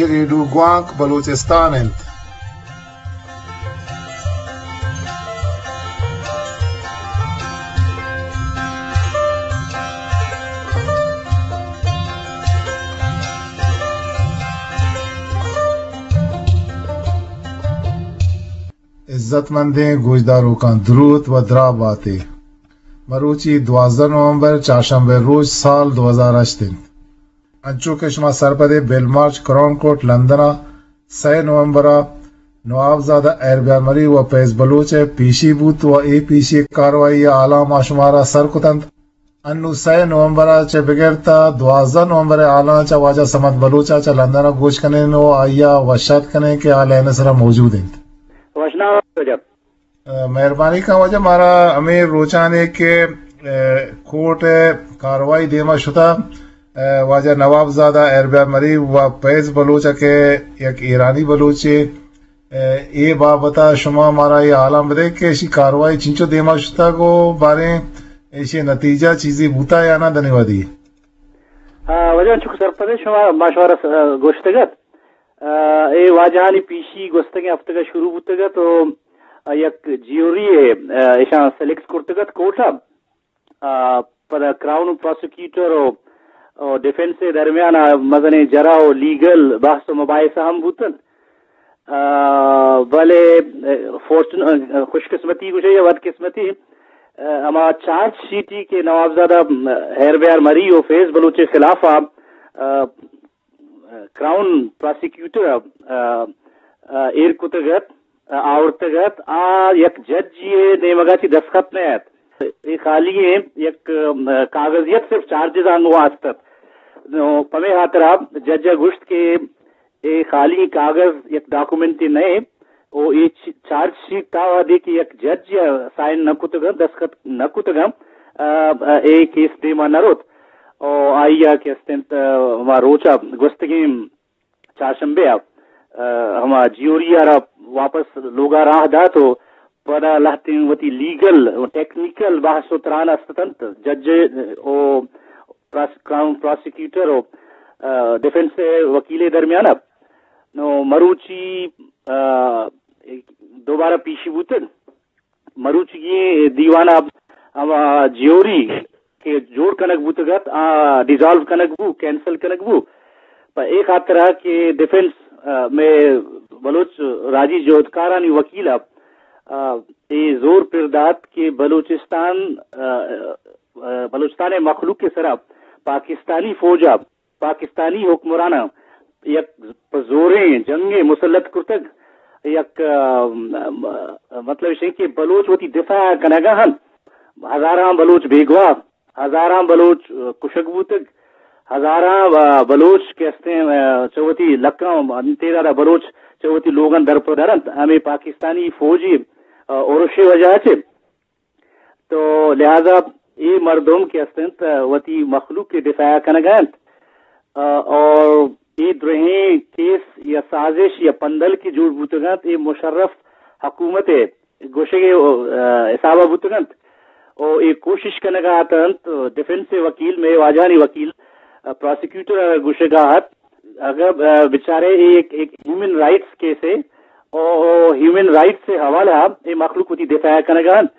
ریڈیو گوانک بلوچستان انت۔ عزت مندیں گوشداروکاں دروت و دراہ باتے۔ مروچی دوازدہ نومبر، چارشنبے روچ، سال دو ہزار ہشت انت۔ انچو کہ شما سرپدے، بل مارچ کراؤن کورٹ لندن ء سئے نومبر ء نوابزادہ ہیربیار مری و فیض بلوچ ء پیشی بوت و اے پیشی کاروائی ء حالاں ما شمارا سر کتنت۔ انو سئے نومبر ء چہ بگر تا دوازدہ نومبر ء حالاں چہ واجہ صمد بلوچ ء چہ لندن ء گوش کنیں و آئی ء وشات کنیں کہ آ لائن ء سرا موجود انت۔ وشنام واجہ۔ ء، مہربانی کن واجہ، مارا ہمے روچانے کہ، ء، کورٹ ء کاروائی دیما شتا، ء، واجہ نوابزادہ ہیربیار مری و فیض بلوچ ء کہ یک ایرانی بلوچے، ء، اے بابت ء شما مارا اے حالاں بدے کہ اشی کاروائی چنچو دیما شتگ و باریں اشی نتیجہ چیزے بوتا یا نہ دنی وادی؟ آ، واجہ انچو کہ سرپدے شما، ما شمارا س-، گوشتگ ات۔ آ، اے واجہانی پیشی گوستگیں ہفتگ ء شروع بوتگ ات و یک جیوری ء، آ، اشاں سلیکٹ کرتگ ات کورٹ ء۔ آ، پدا کراؤن پراسیکیوٹر و، و ڈیفنس ء درمیان ء مزنیں جرا و لیگل بحث و مباحثہ ہم بوت انت۔ آ، بلے، آ، فارچون-، آ، خوش قسمتی گوشے یا بد قسمتی، آ، ہما چارج شیٹی کہ نوابزادہ، م، ہیربیار مری و فیض بلوچ ء خلاف ء، آ، کراؤن پراسیکیوٹر ء، آ، آ، ایر کتگ ات، آ، آورتگ ات، آ یک ججی ء نیمگا چی دستخط نہ ات۔ اے خالی ء یک، آ، کاغذیت صرف چارجز آنگو است ات۔ نو پمے ہاترا جج ء گوشت کہ اے خالی کاغذ یک ڈاکومنٹے نہ انت و اے چ-، چارج شیٹ تا وہدے کہ یک جج ء سائن نہ کتگ انت، دستخط نہ کتگ انت، آ، آ، اے کیس دیما نہ روت۔ و آئی ء کہ است انت، آ، ہما روچ ء گوستگیں چارشنبے ء، آ، ہما جیوری ء را واپس لوگ ء راہ دات و پدا لہتیں وتی لیگل و ٹیکنیکل بحث و تران است انت۔ جج و پراس-، کراؤن پراسیکیوٹر و، آ، ڈیفنس ء وکیل ء درمیان ء۔ نو مروچی، آ، دوبارہ پیشی بوتگ۔ مروچیگیں دیوان ء ہما جیوری کہ جوڑ کنگ بوتگ ات، آ ڈیزالو کنگ بو، کینسل کنگ بو۔ پہ اے خاطر ء کہ ڈیفنس، آ، مئے بلوچ راجی جہدکارانی وکیل ء، آ، اے زور پر دات کہ بلوچستان، آ، آ، بلوچستان ء مخلوق ء سرا پاکستانی فوج ء پاکستانی حکمراناں یک پہ زوریں جنگے مسلط کرتگ، یک، آ، م-، م-، مطلب اش کہ بلوچ وتی دفاع کنگا ہن، ہزاراں بلوچ بیگواہ، ہزاراں بلوچ، آ، کشگ بوتگ، ہزاراں، آ، بلوچ کہ استیں، آ، چہ وتی لکاں تعداد بلوچ چہ وتی لوگاں در پہ در انت، ہمیں پاکستانی فوجی، آ، اورشے وجہ چہ تو لہذا اے مردم کہ است انت، وتی مخلوق ء دفاع کنگ ء انت، آ، اور اے درہیں کیس یا سازش یا پندل کہ جوڑ بوتگ انت، اے مشرف حکومت ء گوشگ ء، آ، حساب ء بوتگ انت۔ او اے کوشش کنگ ء ات انت، ڈیفنس ء وکیل، مئے واجہانی وکیل، آ، پراسیکیوٹر ء گوشگ ء ات، اگر، آ، بچارے اے ایک، ایک ہیومن رائٹس کیس ہے، او، او ہیومن رائٹس سے حوالہ اے مخلوق وتی دفاع کنگ ء انت۔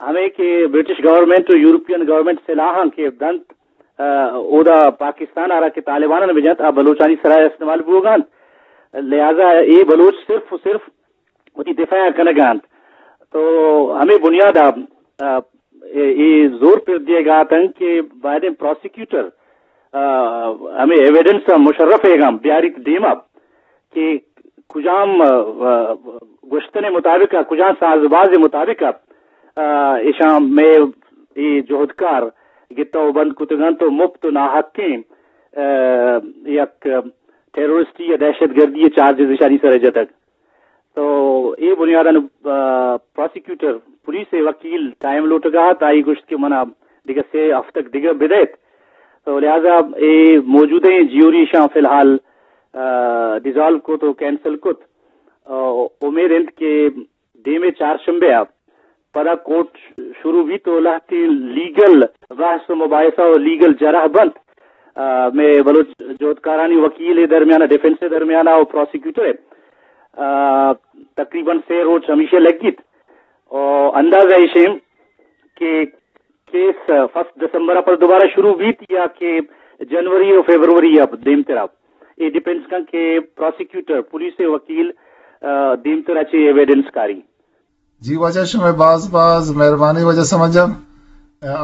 ہمے کہ برٹش گورنمنٹ و یورپین گورنمنٹ سلاہاں کہ دنت، آ، اودا پاکستان آرا کہ طالبانان بجنت، آ بلوچانی سرا استعمال بوگا انت۔ لہذا اے بلوچ صرف و صرف وتی دفاع کنگا انت۔ تو ہمے بنیادا، آ، اے، اے زور پر دیگا اتنت کہ بایدیں پراسیکیوٹر، آ، ہمے ایویڈنس مشرف ایگا بیاریت دیما۔ کہ کجام، آ، آ، گوشتن مطابق، کجام ساز باز مطابق، آ، اشاں مئے اے جہدکار گتہ و بند کتگ انت و مپت و ناحقیں، آ، یک ٹیرورسٹی یا دہشت گردی چارجز اشانی سر جتگ۔ تو اے بنیاداں، آ، پراسیکیوٹر، پولیس ء وکیل ٹائم لوٹگا ات، آئی گوشت کہ منا دگہ سے ہفتگ دگہ بدئیت۔ تو لہذا اے موجودہ جیوری اشاں فی الحال، آ، ڈیزالو کت و کینسل کت۔ آ، امید انت کہ دیمے چارشنبے ء پدا کورٹ شروع بیت و لہتیں لیگل بحث و مباحثہ و لیگل جرح بنت۔ آ، مئے بلوچ جہدکارانی وکیل ءِ درمیان ءَ، ڈیفنس ءِ درمیان ءَ و پراسیکیوٹر ءِ، آ، تقریباً سے روچ ہمیشہ لگیت۔ و اندازہ ایش ایں کہ کیس فرسٹ دسمبر ءَ پر دوبارہ شروع بیت یا کہ جنوری و فیبروری ءَ دیمترا۔ اے ڈیپینڈز کن کہ پراسیکیوٹر، پولیس ءِ وکیل، آ، دیمترا چے ایویڈنس کاری۔ جی واجہ، شمئے باز باز مہربانی واجہ سمجھ جان،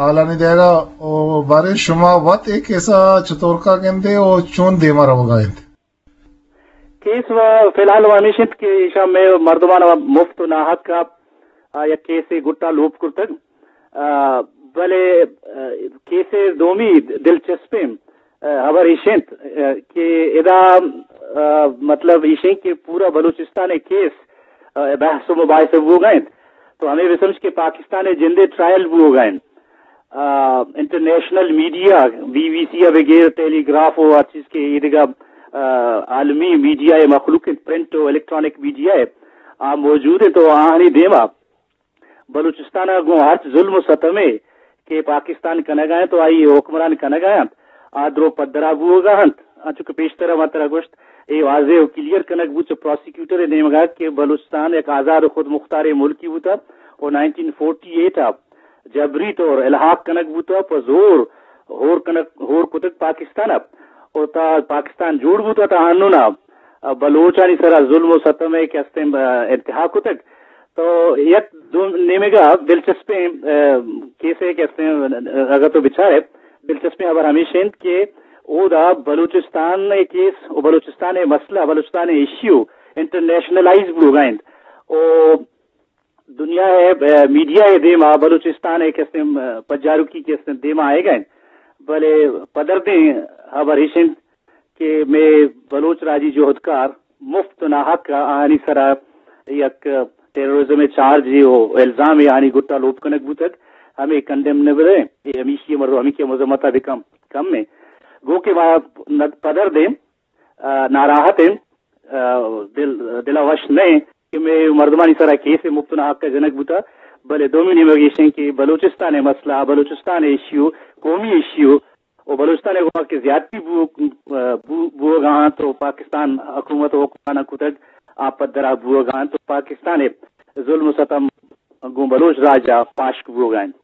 آلانی دیگا۔ او بارے شما وت اے کیسا چطور کا گندے او چون دیما روگا انت؟ کیس و فی الحال و ہمیش انت کہ ایشاں مئے مردمان و مفت و ناحق ءَ، آ، یک کیسے گٹا لوپ کرتگ۔ آ، بلے، آ، کیسے دومی دلچسپیں، آ، ہبر ایش انت، آ، کہ ادا، آ، مطلب ایش انت کہ پورا بلوچستان ءِ کیس، آ، بحث و مباحثہ بوگا انت۔ تو ہمیں بسمجھ کہ پاکستان ءِ جندے ٹرائل بوگا انت۔ آ، انٹرنیشنل میڈیا، بی بی سی ءَ بگر ٹیلی گراف و ہر چیز کہ ایدگہ، آ، عالمی میڈیا ءِ مخلوق انت، پرنٹ و الیکٹرانک میڈیا ءِ، آ موجود انت و آہانی دیما بلوچستان ءَ گوں ہرچ ظلم و ستمے کہ پاکستان کنگا انت و آئی حکمران کنگا انت، آ درو پدرا بوگا انت۔ انچو کہ پیشتر ما ترا گوشت، اے واضح و کلیئر کنگ بوت چہ پراسیکیوٹر ءِ نیمگا کہ بلوچستان یک آزاد و خود مختاریں ملکی بوتا و نائنٹین فورٹی ایٹ ءَ جبری طور الحاق کنگ بوتگ، پہ زور ہور کنگ، ہور کتگ پاکستان ءَ۔ و تا پاکستان جوڑ بوتگ تا ہنونا بلوچانی سرا ظلم و ستم ءَ کہ استیں، آ، انتہا کتگ۔ تو یک دو نیمگا دلچسپیں، آ، کیسے کہ استیں، اگر تو بچارے، دلچسپیں خبر ہمیش انت کہ اودا بلوچستان ءِ کیس و بلوچستان ءِ مسئلہ، بلوچستان ءِ ایشیو انٹرنیشنلائز بوگا انت۔ و دنیا ءِ، آ، میڈیا ءِ دیما بلوچستان ءِ کہ استیں، آ، پجاروکی کہ استیں دیما آئیگا انت۔ بلے پدردیں خبر ایش انت کہ مئے بلوچ راجی جہدکار مفت و ناحق آہانی سرا یک ٹیررزم ءِ چارج و الزام آہانی گٹا لوپ کنگ بوتگ، ہمے کنڈیمنیبل ایں، اے ہمیشی مردم ہمیشی مذمت ءَ بکن کم ایں۔ گو کہ ما ند-، پدردیں، آ، ناراحت ایں، آ، دل، دل ءَ وش نہ ایں کہ مئے مردمانی سرا کیس مفت و ناحق ءَ جنگ بوتا، بلے دومی نیمگ ایش ایں کہ بلوچستان ءِ مسئلہ، بلوچستان ءِ ایشیو، قومی ایشیو، و بلوچستان ءَ گوما کہ زیادتی بو-، بو-، بوگا انت و پاکستان حکومت و حکمراناں کتگ، آ پدرا بوگا انت و پاکستان ءِ ظلم و ستم گوں بلوچ راج ءَ پاشک بوگا انت۔